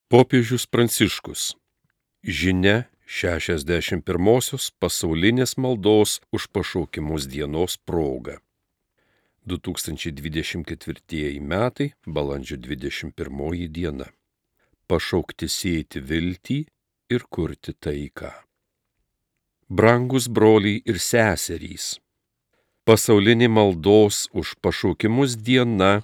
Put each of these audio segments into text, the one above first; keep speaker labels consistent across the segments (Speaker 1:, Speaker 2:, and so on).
Speaker 1: Popiežius Pranciškus. Žinia 61-osios pasaulinės maldos už pašaukimus dienos proga. 2024 metai, balandžio 21 diena. Pašaukti sėti viltį ir kurti taiką. Brangus broliai ir seserys. Pasaulinė maldos už pašaukimus diena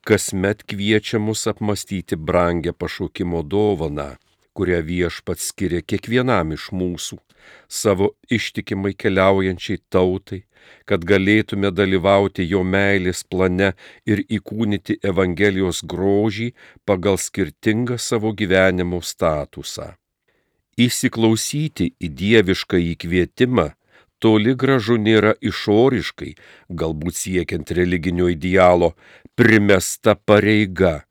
Speaker 1: kasmet kviečia mus apmąstyti brangią pašaukimo dovaną, kurią Viešpats skiria kiekvienam iš mūsų, savo ištikimai keliaujančiai tautai, kad galėtume dalyvauti jo meilės plane ir įkūnyti Evangelijos grožį pagal skirtingą savo gyvenimo statusą. Įsiklausyti į dievišką įkvietimą toli gražu nėra išoriškai, galbūt siekiant religinio idealo, primesta pareiga.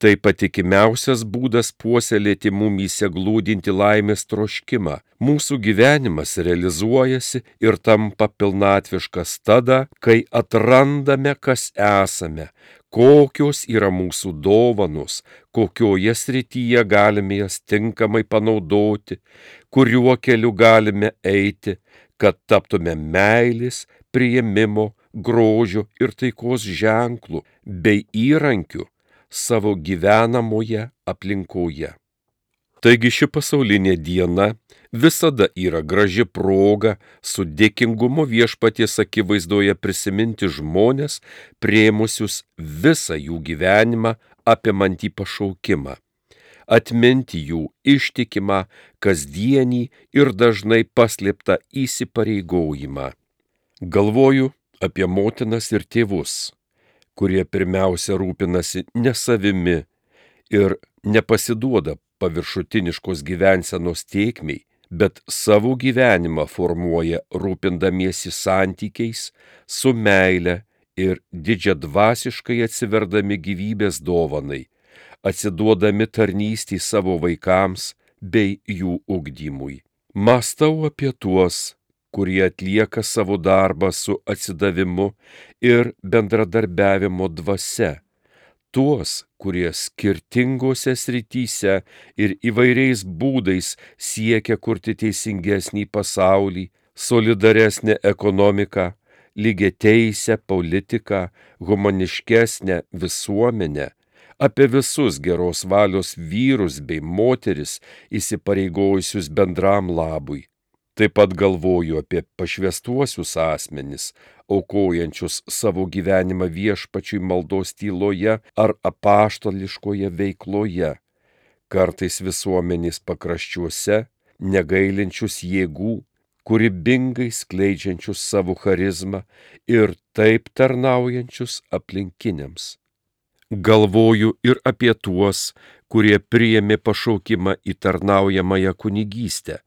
Speaker 1: Tai patikimiausias būdas puoselėti mumyse glūdinti laimės troškimą. Mūsų gyvenimas realizuojasi ir tampa pilnatviškas tada, kai atrandame, kas esame, kokios yra mūsų dovanos, kokioje srityje galime jas tinkamai panaudoti, kuriuo keliu galime eiti, kad taptume meilės, priėmimo, grožio ir taikos ženklų bei įrankių savo gyvenamoje aplinkoje. Taigi ši pasaulinė diena visada yra graži proga su dėkingumu Viešpaties akivaizdoje prisiminti žmones, priėmusius visą jų gyvenimą apimantį pašaukimą, atminti jų ištikimą, kasdienį ir dažnai paslėptą įsipareigojimą. Galvoju apie motinas ir tėvus, kurie pirmiausia rūpinasi ne savimi ir nepasiduoda paviršutiniškos gyvensenos tėkmei, bet savo gyvenimą formuoja rūpindamiesi santykiais su meile ir didžiadvasiškai atsiverdami gyvybės dovanai, atsiduodami tarnystei savo vaikams bei jų ugdymui. Mąstau apie tuos, kurie atlieka savo darbą su atsidavimu ir bendradarbiavimo dvasia, tuos, kurie skirtingose srityse ir įvairiais būdais siekia kurti teisingesnį pasaulį, solidaresnę ekonomiką, lygiateisę politiką, humaniškesnę visuomenę, apie visus geros valios vyrus bei moteris įsipareigojusius bendram labui. Taip pat galvoju apie pašvęstuosius asmenis, aukojančius savo gyvenimą Viešpačiui maldos tyloje ar apaštališkoje veikloje, kartais visuomenės pakraščiuose, negailinčius jėgų, kūrybingai skleidžiančius savo charizmą ir taip tarnaujančius aplinkiniams. Galvoju ir apie tuos, kurie priėmė pašaukimą į tarnaujamąją kunigystę,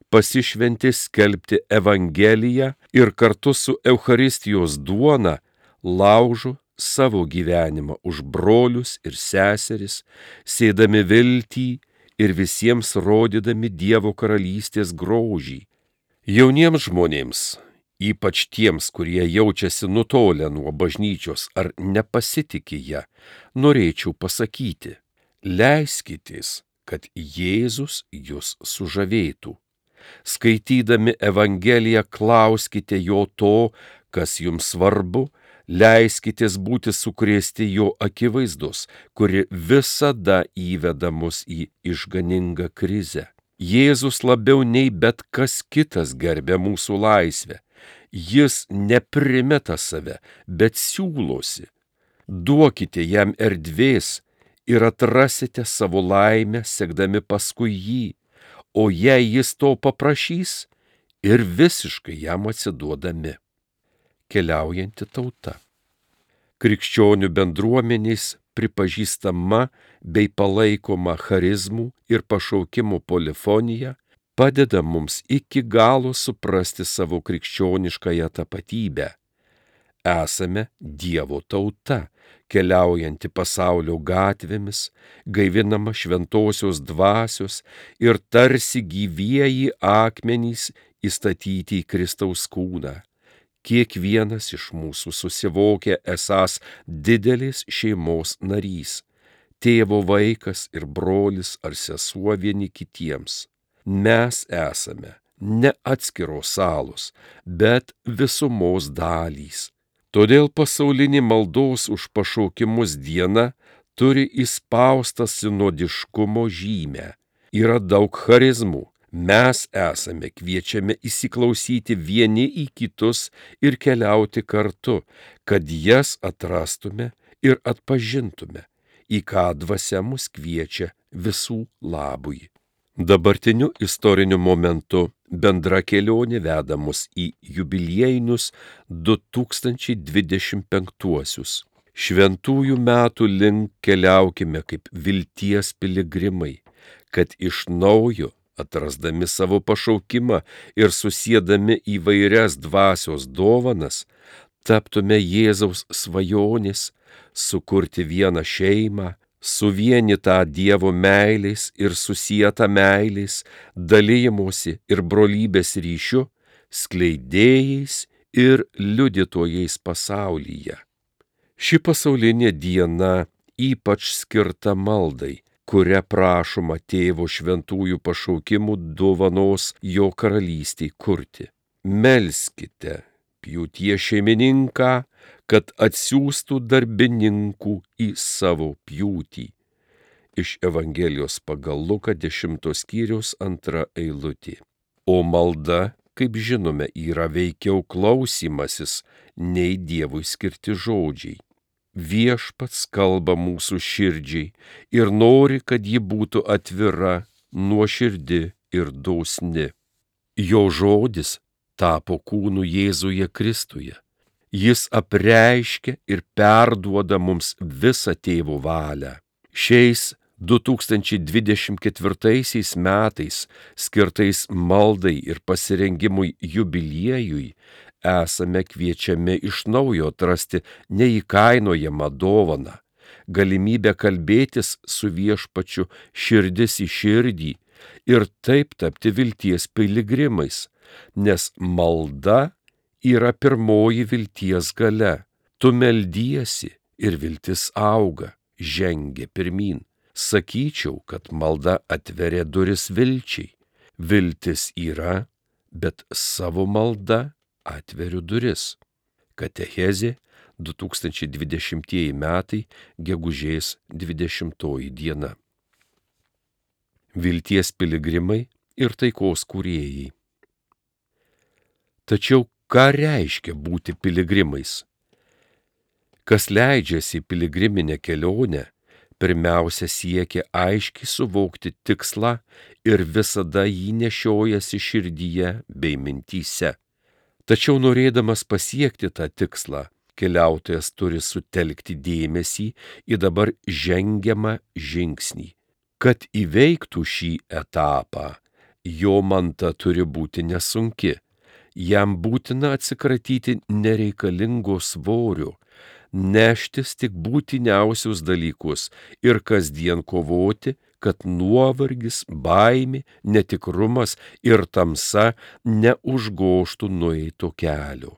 Speaker 1: pasišventė skelbti Evangeliją ir kartu su Eucharistijos duona laužo savo gyvenimą už brolius ir seseris, sėdami viltį ir visiems rodydami Dievo karalystės grožį. Jauniems žmonėms, ypač tiems, kurie jaučiasi nutolę nuo bažnyčios ar nepasitiki ją, norėčiau pasakyti: leiskitės, kad Jėzus jus sužavėtų. Skaitydami Evangeliją klauskite jo to, kas jums svarbu, leiskitės būti sukrėsti jo akivaizdos, kuri visada įveda mus į išganingą krizę. Jėzus labiau nei bet kas kitas gerbia mūsų laisvę. Jis neprimeta save, bet siūlosi. Duokite jam erdvės ir atrasite savo laimę, sekdami paskui jį. O jei jis to paprašys, ir visiškai jam atsiduodami. Keliaujanti tauta. Krikščionių bendruomenės pripažįstama bei palaikoma charizmų ir pašaukimų polifonija padeda mums iki galo suprasti savo krikščioniškąją tapatybę. Esame Dievo tauta, keliaujanti pasaulio gatvėmis, gaivinama šventosios dvasios ir tarsi gyvieji akmenys įstatyti į Kristaus kūną. Kiekvienas iš mūsų susivokia esąs didelės šeimos narys. tėvo vaikas ir brolis ar sesuo vieni kitiems. Mes esame ne atskiros salos, bet visumos dalys. Todėl pasaulinė maldos už pašaukimus diena turi įspaustą sinodiškumo žymę. Yra daug charizmų. Mes esame kviečiami įsiklausyti vieni į kitus ir keliauti kartu, kad jas atrastume ir atpažintume, į ką dvasia mus kviečia visų labui. Dabartiniu istoriniu momentu bendra kelionė veda mus į jubiliejinius 2025-uosius. Šventųjų metų link keliaukime kaip vilties piligrimai, kad iš naujo, atrasdami savo pašaukimą ir susiedami įvairias dvasios dovanas, taptume Jėzaus svajonės, sukurti vieną šeimą, suvienytą Dievo meilės ir susietą meilės, dalijimosi ir brolybės ryšiu, skleidėjais ir liudytojais pasaulyje. Ši pasaulinė diena ypač skirta maldai, kuria prašoma Tėvo šventųjų pašaukimų dovanos jo karalystei kurti. Melskite pjūties šeimininką, kad atsiųstų darbininkų į savo pjūtį. Iš Evangelijos pagal Luką 10 skyriaus 2 eilutė. O malda, kaip žinome, yra veikiau klausymasis nei Dievui skirti žodžiai. Viešpats kalba mūsų širdžiai ir nori, kad ji būtų atvira, nuoširdi ir dosni. Jo žodis tapo kūnu Jėzuje Kristuje. Jis apreiškia ir perduoda mums visą Tėvo valią. Šiais 2024 metais, skirtais maldai ir pasirengimui jubiliejui, esame kviečiami iš naujo atrasti neįkainojamą dovaną, galimybę kalbėtis su Viešpačiu širdis į širdį ir taip tapti vilties piligrimais, nes malda yra pirmoji vilties galia. Tu meldiesi ir viltis auga, žengia pirmyn. Sakyčiau, kad malda atveria duris vilčiai. Viltis yra, bet savo malda atveriu duris. Katechezė 2020 metai, gegužės 20 diena. Vilties piligrimai ir taikos kūrėjai. Tačiau ką reiškia būti piligrimais? Kas leidžiasi į piligriminę kelionę, pirmiausia siekia aiškiai suvokti tikslą ir visada jį nešiojasi širdyje bei mintyse. Tačiau norėdamas pasiekti tą tikslą, keliautojas turi sutelkti dėmesį į dabar žengiamą žingsnį. Kad įveiktų šį etapą, jo manta turi būti nesunki. Jam būtina atsikratyti nereikalingo svorio, neštis tik būtiniausius dalykus ir kasdien kovoti, kad nuovargis, baimė, netikrumas ir tamsa neužgožtų nueito kelio.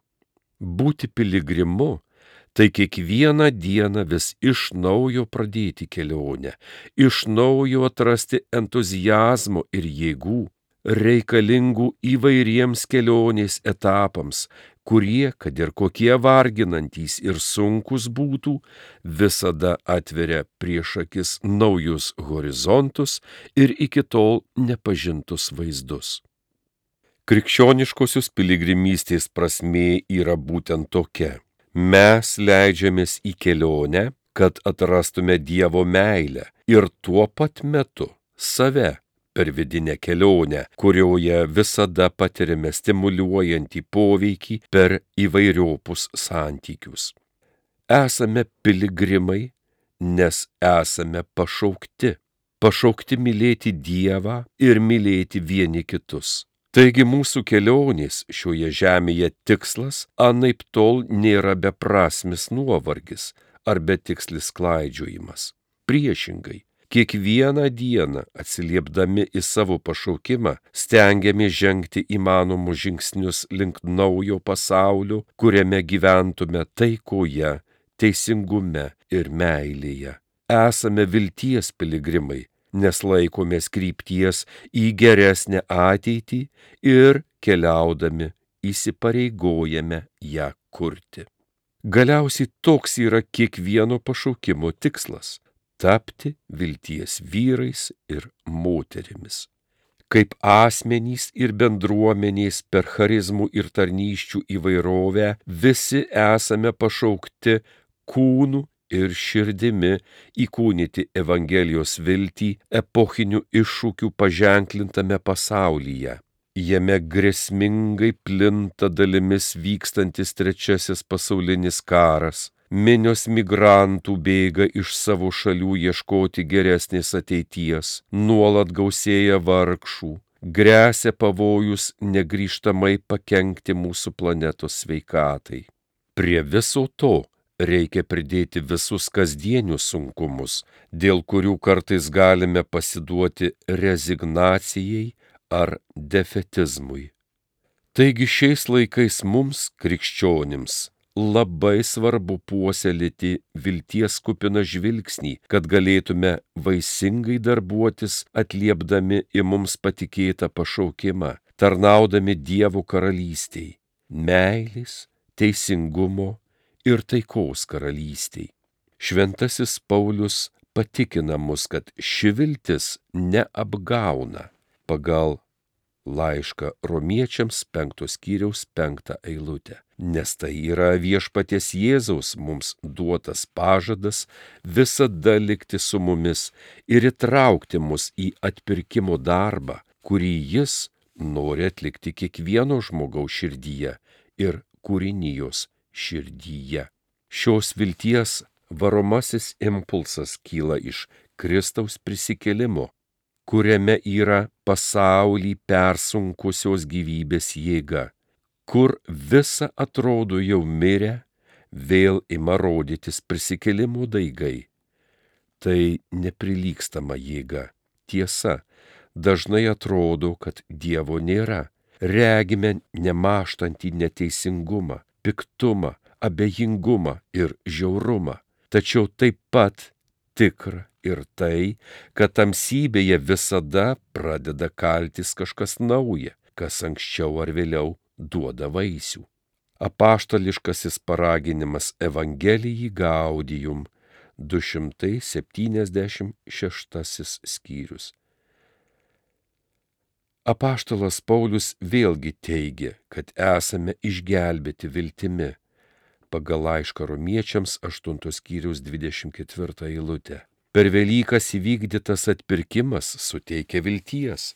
Speaker 1: Būti piligrimu – tai kiekvieną dieną vis iš naujo pradėti kelionę, iš naujo atrasti entuziazmo ir jėgų, reikalingų įvairiems kelionės etapams, kurie, kad ir kokie varginantys ir sunkus būtų, visada atveria prieš akis naujus horizontus ir iki tol nepažintus vaizdus. Krikščioniškosios piligrimystės prasmė yra būtent tokia. Mes leidžiamės į kelionę, kad atrastume Dievo meilę ir tuo pat metu save per vidinę kelionę, kurioje visada patiriame stimuliuojantį poveikį per įvairiopus santykius. Esame piligrimai, nes esame pašaukti mylėti Dievą ir mylėti vieni kitus. Taigi mūsų kelionės šioje žemėje tikslas anaiptol nėra beprasmis nuovargis ar betikslis klaidžiojimas. Priešingai, kiekvieną dieną atsiliepdami į savo pašaukimą stengiamės žengti įmanomus žingsnius link naujo pasaulio, kuriame gyventume taikoje, teisingume ir meilėje. esame vilties piligrimai, nes laikomės krypties į geresnę ateitį ir keliaudami įsipareigojame ją kurti. Galiausiai toks yra kiekvieno pašaukimo tikslas – tapti vilties vyrais ir moterimis. Kaip asmenys ir bendruomenės per charizmų ir tarnysčių įvairovę visi esame pašaukti kūnu ir širdimi įkūnyti Evangelijos viltį epochinių iššūkių paženklintame pasaulyje. Jame grėsmingai plinta dalimis vykstantis trečiasis pasaulinis karas. Minios migrantų bėga iš savo šalių ieškoti geresnės ateities, nuolat gausėja vargšų, gresia pavojus negrįžtamai pakenkti mūsų planetos sveikatai. Prie viso to reikia pridėti visus kasdienius sunkumus, dėl kurių kartais galime pasiduoti rezignacijai ar defetizmui. Taigi šiais laikais mums, krikščionims, labai svarbu puoselėti vilties kupiną žvilgsnį, kad galėtume vaisingai darbuotis atliepdami į mums patikėtą pašaukimą, tarnaudami Dievo karalystei, meilės, teisingumo ir taikos karalystei. Šventasis Paulius patikina mus, kad ši viltis neapgauna. Pagal laišką Romiečiams 5 skyriaus 5 eilutę. Nes tai yra viešpaties Jėzaus mums duotas pažadas visada likti su mumis ir įtraukti mus į atpirkimo darbą, kurį jis nori atlikti kiekvieno žmogaus širdyje ir kūrinijos širdyje. Šios vilties varomasis impulsas kyla iš Kristaus prisikėlimo, kuriame yra pasaulį persunkusios gyvybės jėga, kur visa atrodo jau mirę, vėl ima rodytis prisikėlimo daigai. Tai neprilygstama jėga. Tiesa, dažnai atrodo, kad Dievo nėra. Regime nemaštantį neteisingumą, piktumą, abejingumą ir žiaurumą. Tačiau taip pat tikra ir tai, kad tamsybėje visada pradeda kaltis kažkas nauja, kas anksčiau ar vėliau duoda vaisių. Apaštališkasis paraginimas Evangelijai Gaudium 276 skyrius. Apaštalas Paulius vėlgi teigia, kad esame išgelbėti viltimi, pagal laišką Romiečiams 8 skyriaus 24 eilutę. Per Velykas įvykdytas atpirkimas suteikia vilties,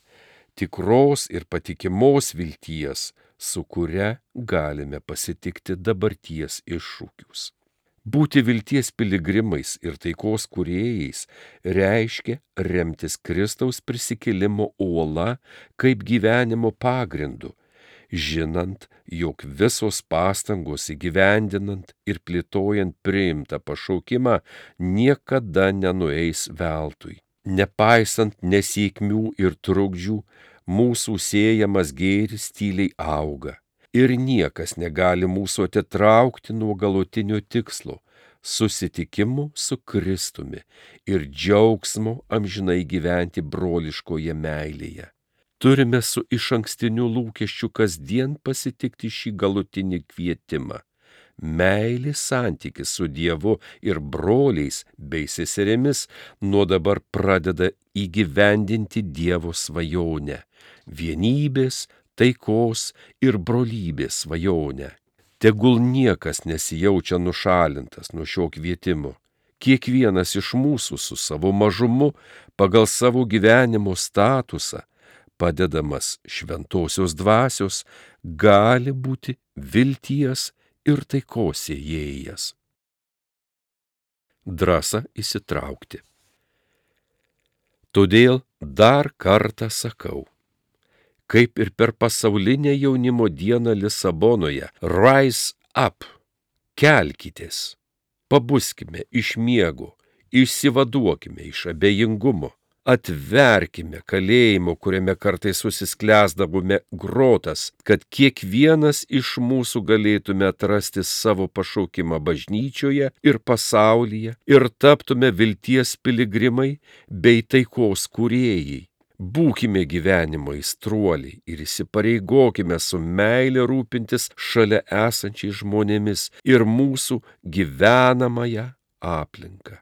Speaker 1: tikros ir patikimos vilties, su kuria galime pasitikti dabarties iššūkius. Būti vilties piligrimais ir taikos kūrėjais reiškia remtis Kristaus prisikėlimo uola kaip gyvenimo pagrindu, žinant, jog visos pastangos įgyvendinant ir plėtojant priimtą pašaukimą niekada nenueis veltui. Nepaisant nesėkmių ir trukdžių, mūsų sėjamas gėris tyliai auga ir niekas negali mūsų atitraukti nuo galutinio tikslo – susitikimų su Kristumi ir džiaugsmo amžinai gyventi broliškoje meilėje. Turime su išankstiniu lūkesčiu kasdien pasitikti šį galutinį kvietimą. Meilės santykis su Dievu ir broliais bei seserėmis nuo dabar pradeda įgyvendinti Dievo svajonę, vienybės, taikos ir brolybės svajonę. Tegul niekas nesijaučia nušalintas nuo šio kvietimo. Kiekvienas iš mūsų su savo mažumu pagal savo gyvenimo statusą padedamas šventosios dvasios, gali būti vilties ir taikos sėjėjas. Drąsa įsitraukti. Todėl dar kartą sakau, kaip ir per pasaulinę jaunimo dieną Lisabonoje, rise up, kelkitės, pabuskime iš miego, išsivaduokime iš abejingumo, Atverkime kalėjimo, kuriame kartais susisklęsdavome grotas, kad kiekvienas iš mūsų galėtume atrasti savo pašaukimą bažnyčioje ir pasaulyje ir taptume vilties piligrimai bei taikos kūrėjai. Būkime gyvenimo aistruoliai ir įsipareigokime su meile rūpintis šalia esančiais žmonėmis ir mūsų gyvenamąją aplinką.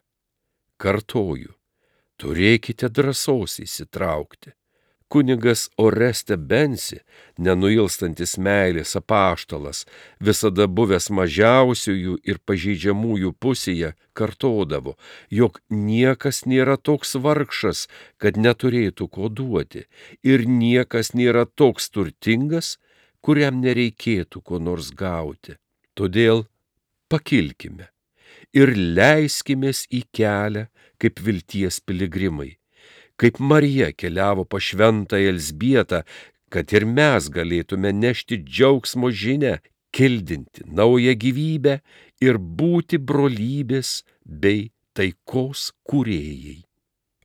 Speaker 1: Kartoju, turėkite drąsos įsitraukti. Kunigas Oreste Bensi, nenuilstantis meilės apaštalas, visada buvęs mažiausiųjų ir pažeidžiamųjų pusėje, kartodavo, jog niekas nėra toks vargšas, kad neturėtų ko duoti, ir niekas nėra toks turtingas, kuriam nereikėtų ko nors gauti. Todėl pakilkime ir leiskimės į kelią kaip vilties piligrimai. Kaip Marija keliavo pas šventąją Elzbietą, kad ir mes galėtume nešti džiaugsmo žinią, kildinti naują gyvybę ir būti brolybės bei taikos kūrėjai.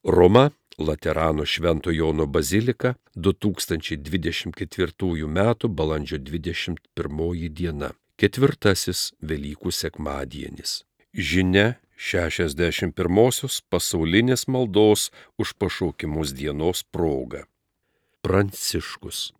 Speaker 1: Roma, Laterano Švento Jono bazilika, 2024 m. balandžio 21 diena, 4. Velykų sekmadienis. Žinia 61-osios pasaulinės maldos už pašaukimus dienos proga. Pranciškus.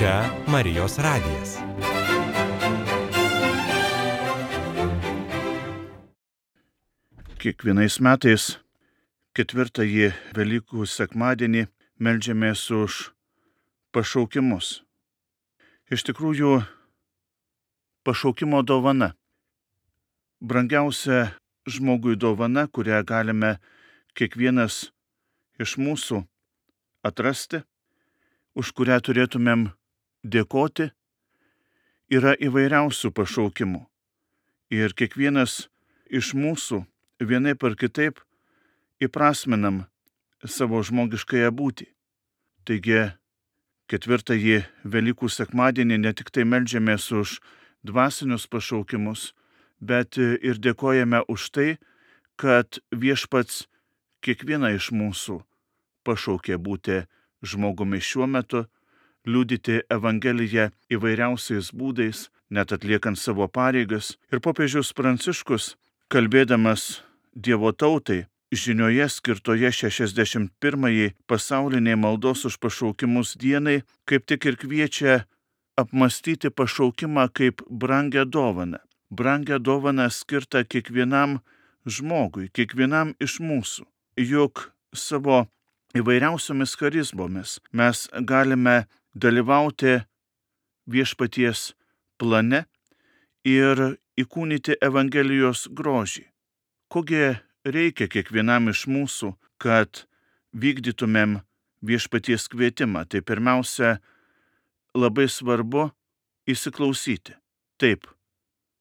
Speaker 2: Čia Marijos radijas.
Speaker 3: Kiekvienais metais 4. Velykų sekmadienį meldžiamės už pašaukimus. Iš tikrųjų, pašaukimo dovana. Brangiausia žmogui dovana, kurią galime kiekvienas iš mūsų atrasti, už kurią turėtumėm dėkoti, yra įvairiausių pašaukimų. Ir kiekvienas iš mūsų vienaip ar kitaip įprasminam savo žmogiškąją būtį. Taigi, ketvirtąjį Velykų sekmadienį ne tik tai meldžiamės už dvasinius pašaukimus, bet ir dėkojame už tai, kad Viešpats kiekvieną iš mūsų pašaukė būti žmogumi šiuo metu, liudyti Evangeliją įvairiausiais būdais, net atliekant savo pareigas. Ir popiežius Pranciškus, kalbėdamas Dievo tautai, žinioje skirtoje 61-ąjį pasauliniai maldos už pašaukimus dienai, kaip tik ir kviečia apmastyti pašaukimą kaip brangią dovaną. Brangią dovaną skirtą kiekvienam žmogui, kiekvienam iš mūsų. Juk savo įvairiausiomis charizmomis mes galime dalyvauti Viešpaties plane ir įkūnyti Evangelijos grožį. Kogi reikia kiekvienam iš mūsų, kad vykdytumėm Viešpaties kvietimą? Tai pirmiausia, labai svarbu įsiklausyti. Taip,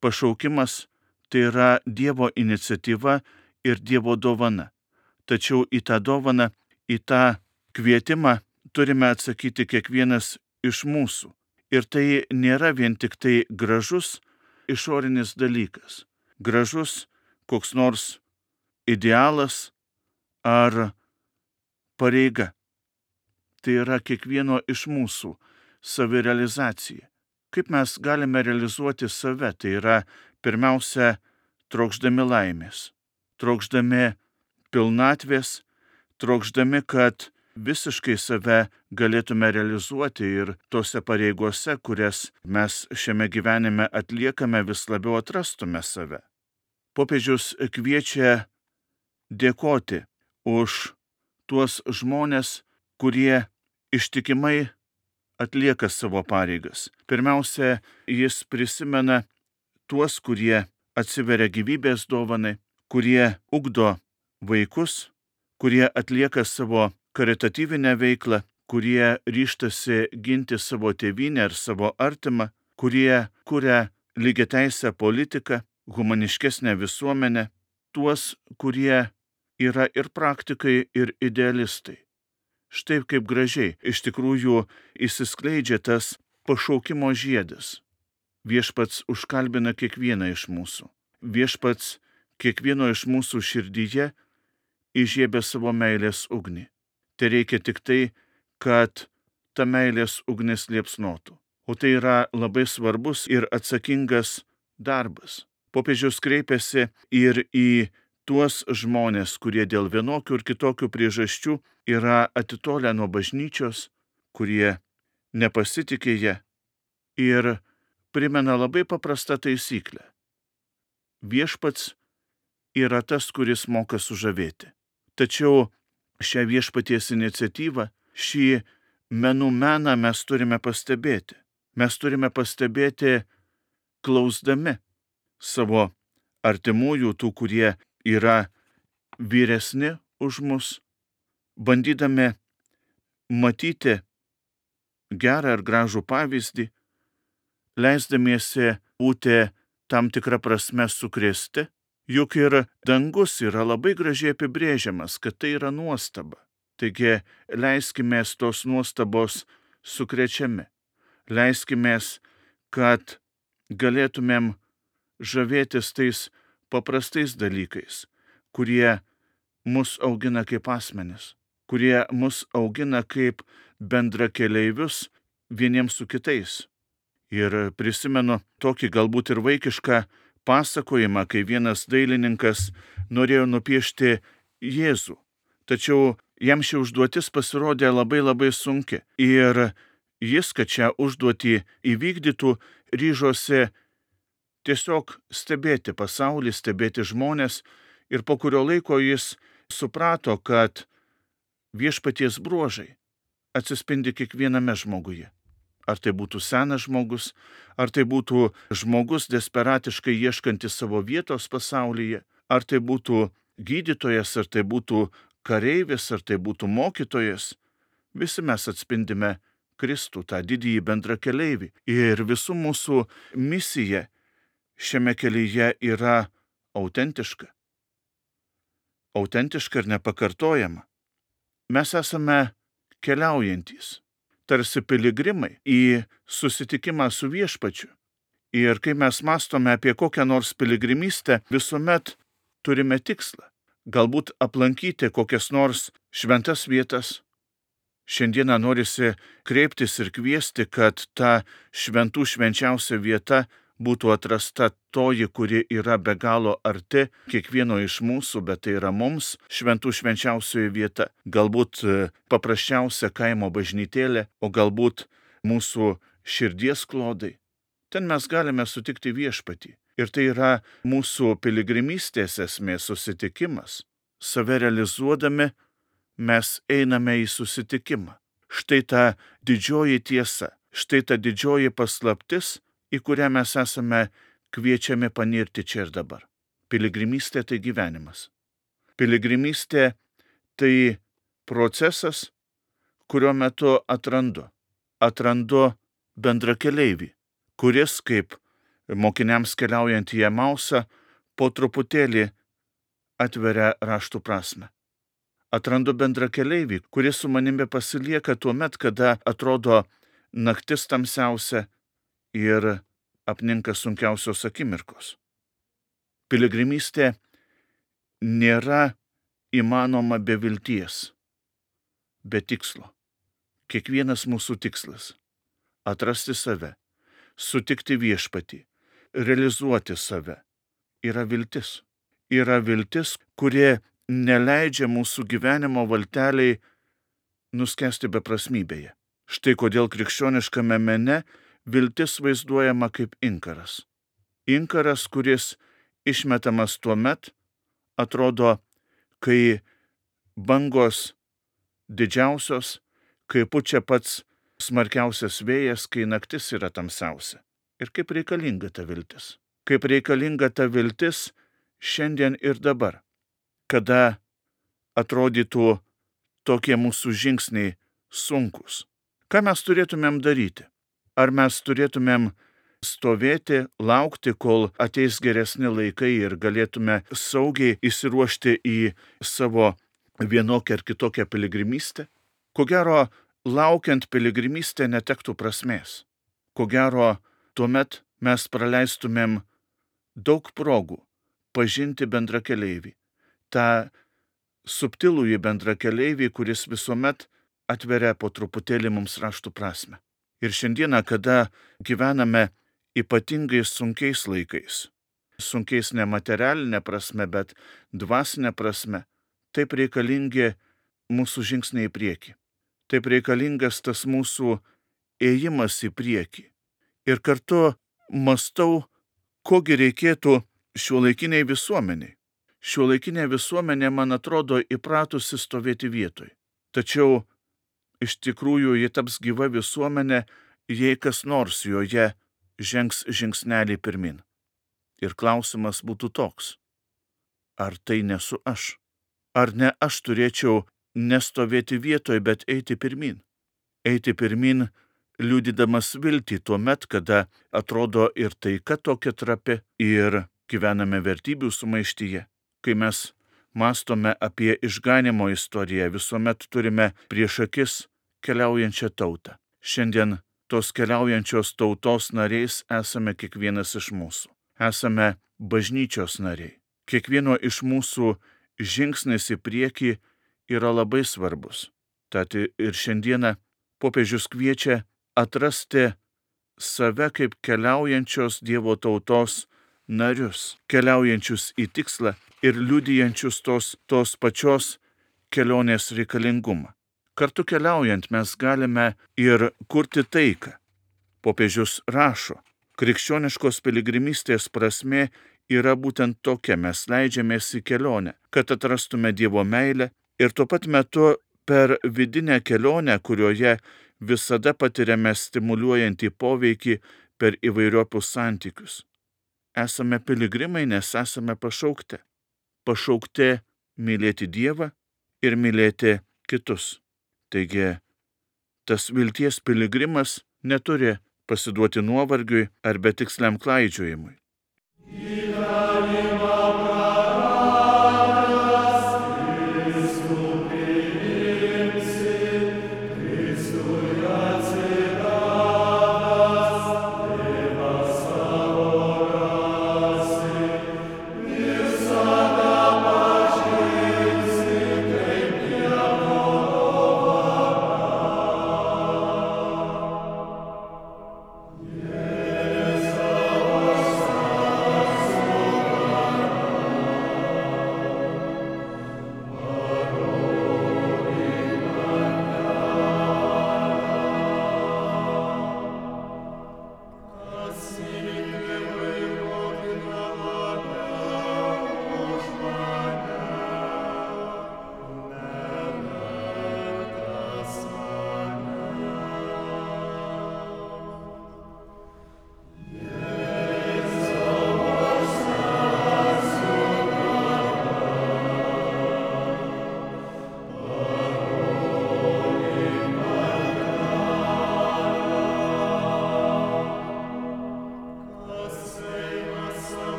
Speaker 3: pašaukimas tai yra Dievo iniciatyva ir Dievo dovana. Tačiau į tą dovaną, į tą kvietimą turime atsakyti kiekvienas iš mūsų. Ir tai nėra vien tik tai gražus išorinis dalykas. Gražus koks nors idealas ar pareiga. Tai yra kiekvieno iš mūsų savirealizacija. Kaip mes galime realizuoti save? Tai yra pirmiausia trokšdami laimės, trokšdami pilnatvės, trokšdami, kad visiškai save galėtume realizuoti ir tose pareigose, kurias mes šiame gyvenime atliekame, vis labiau atrastume save. Popiežius kviečia dėkoti už tuos žmonės, kurie ištikimai atlieka savo pareigas. Pirmiausia, jis prisimena tuos, kurie atsiveria gyvybės dovanai, kurie ugdo vaikus, kurie atlieka savo karitatyvinę veiklą, kurie ryžtasi ginti savo tėvynę ir savo artimą, kurie kuria lygiateisę politiką, humaniškesnę visuomenę, tuos, kurie yra ir praktikai, ir idealistai. Štai kaip gražiai iš tikrųjų išsiskleidžia tas pašaukimo žiedas. Viešpats užkalbina kiekvieną iš mūsų. Viešpats kiekvieno iš mūsų širdyje įžiebia savo meilės ugnį. Tai reikia tik tai, kad ta meilės ugnis liepsnotų. O tai yra labai svarbus ir atsakingas darbas. Popiežius kreipiasi ir į tuos žmonės, kurie dėl vienokių ir kitokių priežasčių yra atitolę nuo bažnyčios, kurie nepasitikė ją ir primena labai paprastą taisyklę. Viešpats yra tas, kuris moka sužavėti. Tačiau šią viešpaties iniciatyvą, šį menų meną mes turime pastebėti. Mes turime pastebėti klausdami savo artimųjų, tų, kurie yra vyresni už mus, bandydami matyti gerą ir gražų pavyzdį, leisdamiesi būti tam tikrą prasme sukrėsti, juk ir dangus yra labai gražiai apibrėžiamas, kad tai yra nuostaba. Taigi leiskimės tos nuostabos sukrečiami. Leiskimės, kad galėtumėm žavėtis tais paprastais dalykais, kurie mus augina kaip asmenis, kurie mus augina kaip bendrakeleivius vieniems su kitais. Ir prisimenu tokį galbūt ir vaikišką pasakojimą, kai vienas dailininkas norėjo nupiešti Jėzų, tačiau jam ši užduotis pasirodė labai sunki. Ir jis, kad šią užduotį įvykdytų, ryžosi tiesiog stebėti pasaulį, stebėti žmonės, ir po kurio laiko jis suprato, kad viešpaties bruožai atsispindi kiekviename žmoguje. Ar tai būtų senas žmogus, ar tai būtų žmogus desperatiškai ieškantis savo vietos pasaulyje, ar tai būtų gydytojas, ar tai būtų kareivis, ar tai būtų mokytojas, visi mes atspindime Kristų, tą didįjį bendrakeleivį. Ir visų mūsų misija šiame kelyje yra autentiška. autentiška ir nepakartojama. Mes esame keliaujantys, tarsi piligrimai į susitikimą su viešpačiu. Ir kai mes mąstome apie kokią nors piligrimystę, visuomet turime tikslą. Galbūt aplankyti kokias nors šventas vietas. Šiandieną norisi kreiptis ir kviesti, kad ta šventų švenčiausia vieta būtų atrasta toji, kuri yra be galo arti kiekvieno iš mūsų, bet tai yra mums šventų švenčiausioji vieta. Galbūt paprasčiausia kaimo bažnytėlė, o galbūt mūsų širdies klodai. Ten mes galime sutikti viešpatį. Ir tai yra mūsų piligrimystės esmė susitikimas. Save realizuodami mes einame į susitikimą. Štai ta didžioji tiesa, štai ta didžioji paslaptis, į kurią mes esame kviečiami panirti čia ir dabar. Piligrimystė tai gyvenimas. Piligrimystė tai procesas, kurio metu atrandu bendrakeleivį, kuris, kaip mokiniams keliaujant į Emausą, po truputėlį atveria raštų prasmę. Atrandu bendrakeleivį, kuris su manimi pasilieka tuo met, kada atrodo naktis tamsiausia ir apninka sunkiausios akimirkos. Piligrimystė nėra įmanoma be vilties, be tikslo. Kiekvienas mūsų tikslas – atrasti save, sutikti viešpatį, realizuoti save. Yra viltis. Yra viltis, kurie neleidžia mūsų gyvenimo valteliai nuskesti beprasmybėje. Štai kodėl krikščioniškame mene viltis vaizduojama kaip inkaras. Inkaras, kuris išmetamas tuo met, atrodo, kai bangos didžiausios, kai pučia pats smarkiausias vėjas, kai naktis yra tamsiausia. Ir kaip reikalinga ta viltis. Kaip reikalinga ta viltis šiandien ir dabar, kada atrodytų tokie mūsų žingsniai sunkus. Ką mes turėtumėm daryti? Ar mes turėtumėm stovėti, laukti, kol ateis geresni laikai ir galėtume saugiai įsiruošti į savo vienokią ar kitokią piligrimystę? Ko gero, laukiant piligrimystę netektų prasmės. Ko gero, tuomet mes praleistumėm daug progų pažinti bendrakeleivį. tą subtilųjį bendrakeleivį, kuris visuomet atveria po truputėlį mums raštų prasme. Ir šiandieną, kada gyvename ypatingai sunkiais laikais, sunkiais ne materialinė prasme, bet dvasinė prasme, taip reikalingi mūsų žingsniai į priekį. Taip reikalingas tas mūsų ėjimas į priekį. Ir kartu mąstau, kogi reikėtų šiuolaikiniai visuomeniai. Šiuolaikinė visuomenė, man atrodo, įpratusi stovėti vietoj. Tačiau iš tikrųjų ji taps gyva visuomenė, jei kas nors joje žengs žingsnelį pirmin. Ir klausimas būtų toks: ar tai nesu aš? Ar ne aš turėčiau nestovėti vietoj, bet eiti pirmin? Eiti pirmin, liudydamas viltį tuo met, kada atrodo ir taika tokia trapi, ir gyvename vertybių sumaištyje. Kai mes mąstome apie išganymo istoriją, visuomet turime prieš akis keliaujančią tautą. Šiandien tos keliaujančios tautos nariais esame kiekvienas iš mūsų. Esame bažnyčios nariai. Kiekvieno iš mūsų žingsnis į priekį yra labai svarbus. Tad ir šiandieną popiežius kviečia atrasti save kaip keliaujančios Dievo tautos narius, keliaujančius į tikslą ir liudijančius tos pačios kelionės reikalingumą. Kartu keliaujant mes galime ir kurti taiką. Popiežius rašo, krikščioniškos piligrimystės prasmė yra būtent tokia: mes leidžiamės į kelionę, kad atrastume Dievo meilę ir tuo pat metu per vidinę kelionę, kurioje visada patiriame stimuliuojantį poveikį per įvairiopus santykius. Esame piligrimai, nes esame pašaukti. Pašaukti mylėti Dievą ir mylėti kitus. Taigi, tas vilties piligrimas neturi pasiduoti nuovargiui ar betiksliam klaidžiojimui.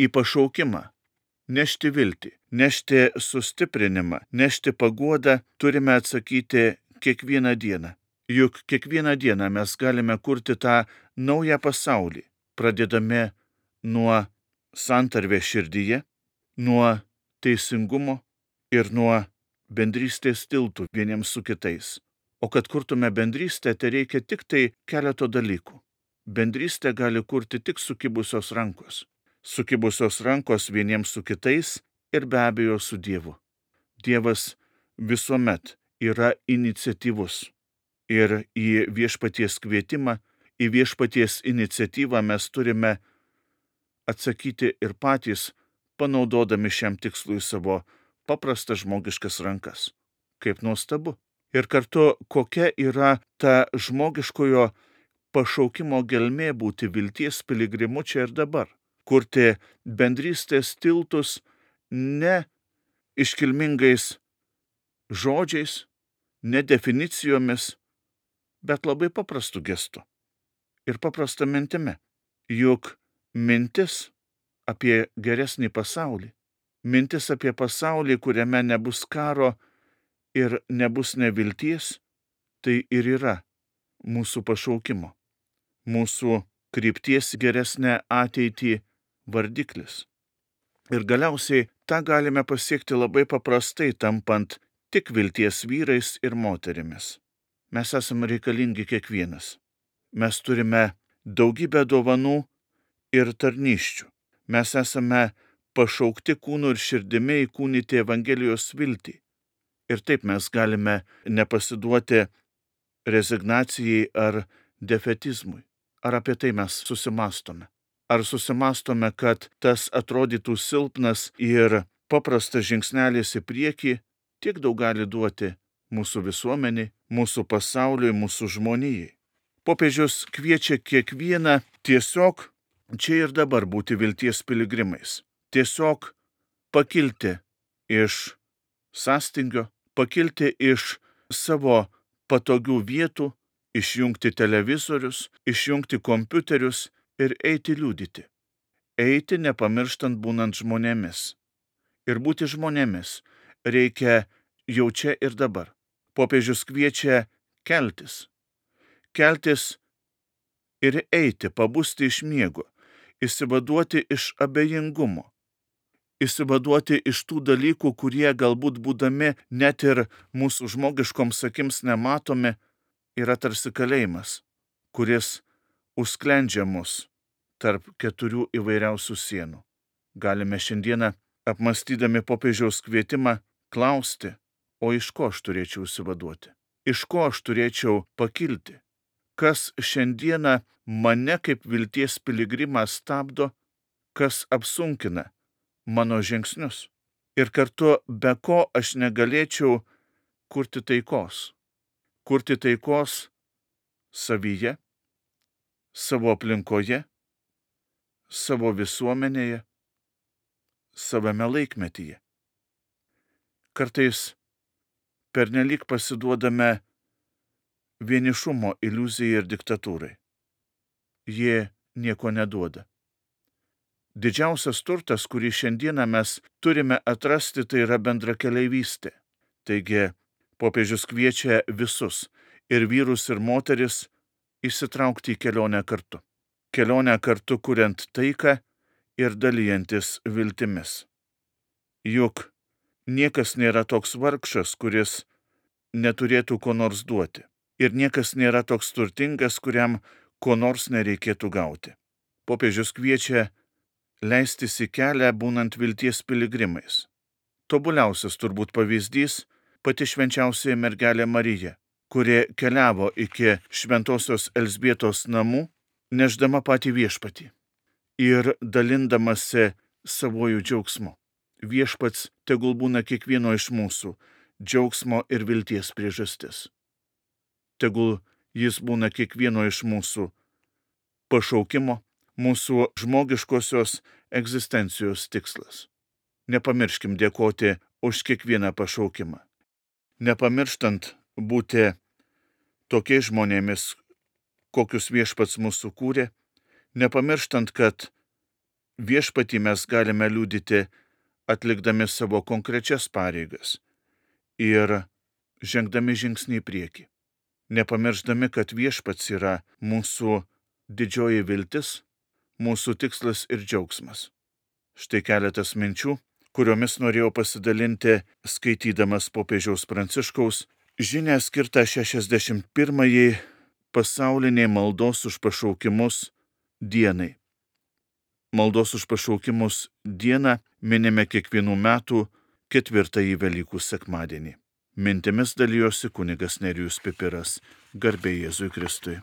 Speaker 3: į pašaukimą, nešti viltį, nešti sustiprinimą, nešti paguodą turime atsakyti kiekvieną dieną. Juk kiekvieną dieną mes galime kurti tą naują pasaulį, pradėdami nuo santarvės širdyje, nuo teisingumo ir nuo bendrystės tiltų vieniems su kitais. O kad kurtume bendrystę, tai reikia tik tai keleto dalykų. Bendrystę gali kurti tik sukibusios rankos. Sukibusios rankos vieniems su kitais ir be abejo su Dievu. Dievas visuomet yra iniciatyvus. Ir į viešpaties kvietimą, į viešpaties iniciatyvą mes turime atsakyti ir patys, panaudodami šiam tikslui savo paprastas žmogiškas rankas. Kaip nuostabu. Ir kartu, kokia yra ta žmogiškojo pašaukimo gelmė būti vilties piligrimu čia ir dabar. Kurti bendrystės tiltus ne iškilmingais žodžiais, ne definicijomis, bet labai paprastu gestu ir paprasta mintimi. Juk mintis apie geresnį pasaulį, mintis apie pasaulį, kuriame nebus karo ir nebus nevilties, tai ir yra mūsų pašaukimo, mūsų krypties geresnę ateitį vardiklis. Ir galiausiai tą galime pasiekti labai paprastai, tampant tik vilties vyrais ir moterimis. Mes esame reikalingi kiekvienas. Mes turime daugybę dovanų ir tarnysčių. Mes esame pašaukti kūnu ir širdimi įkūnyti Evangelijos viltį. Ir taip mes galime nepasiduoti rezignacijai ar defetizmui. Ar apie tai mes susimastome? Ar susimastome, kad tas atrodytų silpnas ir paprastas žingsnelis į priekį tiek daug gali duoti mūsų visuomeniai, mūsų pasauliui, mūsų žmonijai? Popiežius kviečia kiekvieną tiesiog čia ir dabar būti vilties piligrimais. Tiesiog pakilti iš sąstingio, pakilti iš savo patogių vietų, išjungti televizorius, išjungti kompiuterius ir eiti liudyti. Eiti nepamirštant būnant žmonėmis. Ir būti žmonėmis reikia jau čia ir dabar. Popiežius kviečia keltis. Keltis ir eiti, pabusti iš miego, išsivaduoti iš abejingumo, išsivaduoti iš tų dalykų, kurie galbūt būdami net ir mūsų žmogiškoms akims nematomi, yra tarsi kalėjimas, kuris užsklendžia mus tarp 4 įvairiausių sienų. Galime šiandieną, apmastydami popiežiaus kvietimą, klausti, o iš ko aš turėčiau išsivaduoti? Iš ko aš turėčiau pakilti? Kas šiandieną mane kaip vilties piligrimą stabdo, kas apsunkina mano žingsnius? Ir kartu be ko aš negalėčiau kurti taikos? Kurti taikos savyje, savo aplinkoje, savo visuomenėje, savame laikmetyje. Kartais pernelyg pasiduodame vienišumo iliuzijai ir diktatūrai. Jie nieko neduoda. Didžiausias turtas, kurį šiandieną mes turime atrasti, tai yra bendrakeleivystė. Taigi, popiežius kviečia visus, ir vyrus, ir moteris, įsitraukti į kelionę kartu. Kelionę kartu kuriant taiką ir dalijantis viltimis. Juk niekas nėra toks vargšas, kuris neturėtų ko nors duoti. Ir niekas nėra toks turtingas, kuriam ko nors nereikėtų gauti. Popiežius kviečia leistis į kelią būnant vilties piligrimais. Tobuliausias turbūt pavyzdys pati švenčiausioji mergelė Marija, kuri keliavo iki šventosios Elzbietos namų, nešdama patį viešpatį ir dalindamasi savojų džiaugsmu. Viešpats tegul būna kiekvieno iš mūsų džiaugsmo ir vilties priežastis. Tegul jis būna kiekvieno iš mūsų pašaukimo, mūsų žmogiškosios egzistencijos tikslas. Nepamirškim dėkoti už kiekvieną pašaukimą. Nepamirštant būti tokiais žmonėmis, kokius viešpats mūsų kūrė, nepamirštant, kad Viešpatį mes galime liudyti atlikdami savo konkrečias pareigas ir žengdami žingsnį į priekį, nepamirždami, kad viešpats yra mūsų didžioji viltis, mūsų tikslas ir džiaugsmas. Štai keletas minčių, kuriomis norėjau pasidalinti skaitydamas popiežiaus Pranciškaus žinią skirtą 61-ąjį pasauliniai maldos už pašaukimus dienai. Maldos už pašaukimus dieną minime kiekvienų metų 4-ąjį Velykų sekmadienį. Mintimis dalijosi kunigas Nerijus Pipiras. Garbė Jėzui Kristui.